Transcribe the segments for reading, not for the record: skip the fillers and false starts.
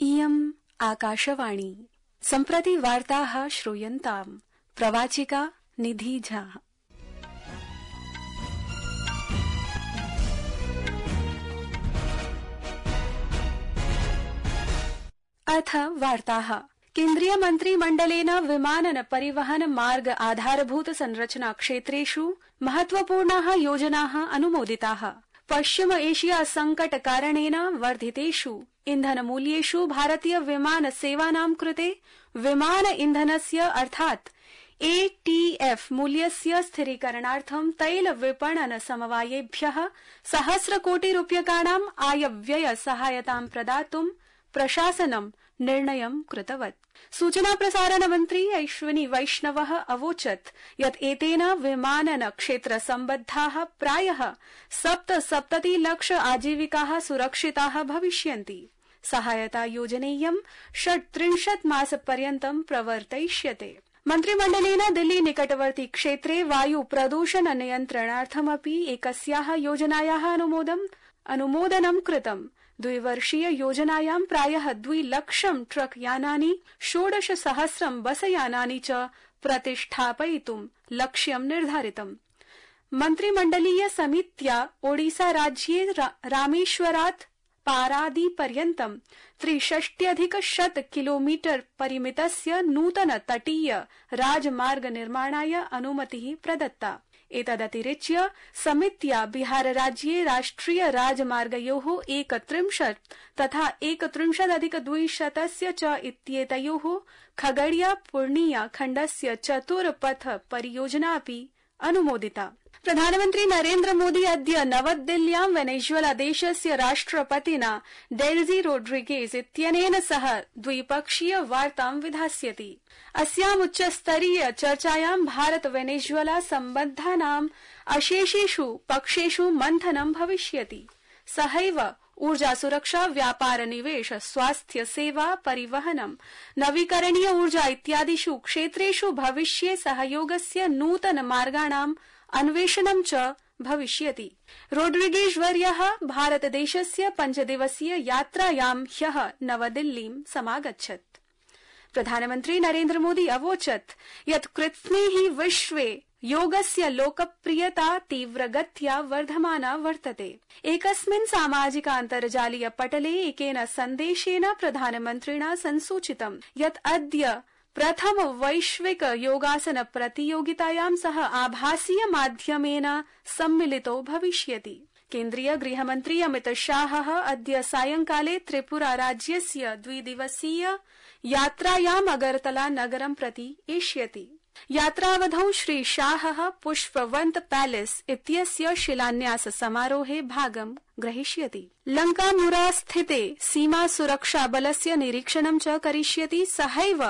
इयम् आकाशवाणी। सम्प्रति वार्ताः श्रूयन्ताम्। प्रवाचिका निधि झा। अथ वार्ताः। केन्द्रीय मन्त्रिमण्डलेन विमानन परिवहन मार्ग आधारभूत संरचना क्षेत्रेषु महत्वपूर्णाः योजनाः अनुमोदिताः। पश्चिम एशिया संकट कारणेन वर्धितेषु इन्धनमूल्येषु भारतीय विमान सेवानां कृते विमान इन्धनस्य अर्थात् एटीएफ मूल्यस्य स्थिरीकरणार्थं तैल विपणन समवायेभ्यः 1,000 कोटि रूप्यकाणां आयव्यय सहायतां प्रदातुं प्रशासनं निर्णयं कृतवत्। सूचना प्रसारण मन्त्री अश्विनी वैष्णवः अवोचत् यत् एतेन विमानन क्षेत्र सम्बद्धाः प्रायः 77 लाख आजीविकाः सुरक्षिताः भविष्यन्ति। सहायता योजनेयं 36 मासपर्यन्तं प्रवर्तयिष्यते। मन्त्रिमण्डलेन दिल्ली निकटवर्ती क्षेत्रे वायु प्रदूषण नियन्त्रणार्थमपि एकस्याः योजनायाः अनुमोदनं कृतम्। 2 वर्षीय योजनायां प्रायः 2 लक्षं ट्रक यानानि 16,000 बसयानानि च प्रतिष्ठापयितुं लक्ष्यं निर्धारितम्। मन्त्रिमण्डलीय समित्या ओडिसा राज्ये रामेश्वरात् पारादी पर्यन्तं 63,100 किलोमीटर परिमितस्य नूतन तटीय राजमार्ग निर्माणाय अनुमतिः प्रदत्ता। एतदतिरिच्य समित्या बिहार राज्ये राष्ट्रिय राजमार्गयोः 31 तथा 31,200 च इत्येतयोः खगड़िया पूर्णिया खण्डस्य चतुर्पथ परियोजनापि अनुमोदिता। प्रधानमन्त्री नरेन्द्र मोदी अद्य नवदिल्ल्यां वेनेजुएला देशस्य राष्ट्रपतिना डेल्जी रोड्रिगेज इत्यनेन सह द्विपक्षीय वार्तां विधास्यति। अस्याम् उच्चस्तरीय चर्चायां भारत वेनेजुएला सम्बन्धानाम् अशेषेषु पक्षेषु मन्थनं भविष्यति। सहैव ऊर्जा सुरक्षा, व्यापार, निवेश, स्वास्थ्य सेवा, परिवहनं, नवीकरणीय ऊर्जा इत्यादिषु क्षेत्रेषु भविष्ये सहयोगस्य नूतन मार्गाणां अन्वेषणं च भविष्यति। रोड्रिगेज वर्यः भारतदेशस्य 5 दिवसीय यात्रायां ह्यः नवदिल्लीं समागच्छत्। प्रधानमन्त्री नरेन्द्र मोदी अवोचत् यत् कृत्स्नेहि विश्वे योगस्य लोकप्रियता तीव्रगत्या वर्धमाना वर्तते। एकस्मिन् सामाजिकान्तर्जालीय पटले एकेन सन्देशेन प्रधानमन्त्रिणा संसूचितं यत् अद्य प्रथम वैश्विक योगासन प्रतियोगितायां सह आभासीय माध्यमेन सम्मिलितो भविष्यति। केन्द्रीय गृहमन्त्री अमित शाहः अद्य सायंकाले त्रिपुरा राज्यस्य 2 दिवसीय यात्रायाम् अगरतला नगरं प्रति एष्यति। यात्रावधौ श्री शाहः पुष्पवन्त पैलेस इत्यस्य शिलान्यास समारोहे भागं ग्रहीष्यति। लंकामुरा स्थिते सीमा सुरक्षा बलस्य निरीक्षणं च करिष्यति। सहैव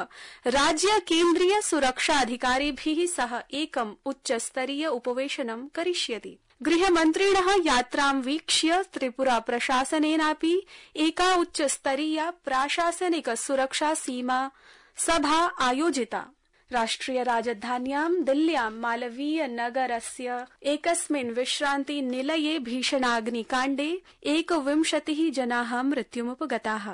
राज्य केन्द्रीय सुरक्षाधिकारिभिः सह एकम् उच्चस्तरीय उपवेशनं करिष्यति। गृहमन्त्रिणः यात्रां वीक्ष्य त्रिपुरा प्रशासनेनापि एका उच्चस्तरीया प्राशासनिक सुरक्षा सीमा सभा आयोजिता। राष्ट्रिय राजधान्यां दिल्ल्यां मालवीय नगरस्य एकस्मिन् विश्रान्ति निलये भीषणाग्निकाण्डे 21 जनाः मृत्युमुपगताः।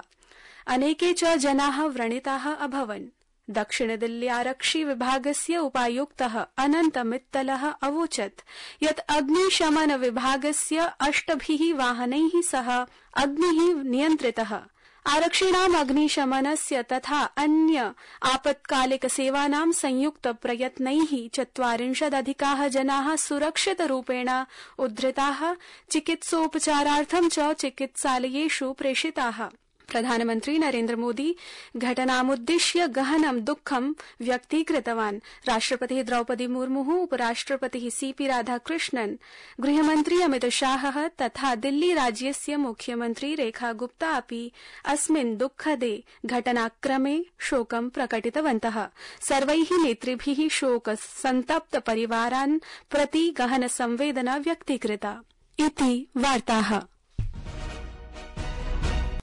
अनेके च जनाः व्रणिताः अभवन्। दक्षिण दिल्ली आरक्षि विभागस्य उपायुक्तः अनन्त मित्तलः अवोचत् यत् अग्निशमन विभागस्य 8 वाहनैः सह अग्निः नियन्त्रितः। आरक्षिणाम् अग्निशमनस्य तथा अन्य आपत्कालिक सेवानां संयुक्त प्रयत्नैः 40 जनाः सुरक्षितरूपेण उद्धृताः, चिकित्सोपचारार्थं च चिकित्सालयेषु प्रेषिताः। प्रधानमन्त्री नरेन्द्र मोदी घटनामुद्दिश्य गहनं दुःखं व्यक्तीकृतवान्। राष्ट्रपतिः द्रौपदी मुर्मुः, उपराष्ट्रपतिः सीपी राधाकृष्णन्, गृहमन्त्री अमित शाहः तथा दिल्ली राज्यस्य मुख्यमन्त्री रेखा गुप्ता अपि अस्मिन् दुःखदे घटनाक्रमे शोकं प्रकटितवन्तः। सर्वैः नेतृभिः शोक सन्तप्त परिवारान् प्रति गहन संवेदना व्यक्तीकृता। इति वार्ताः।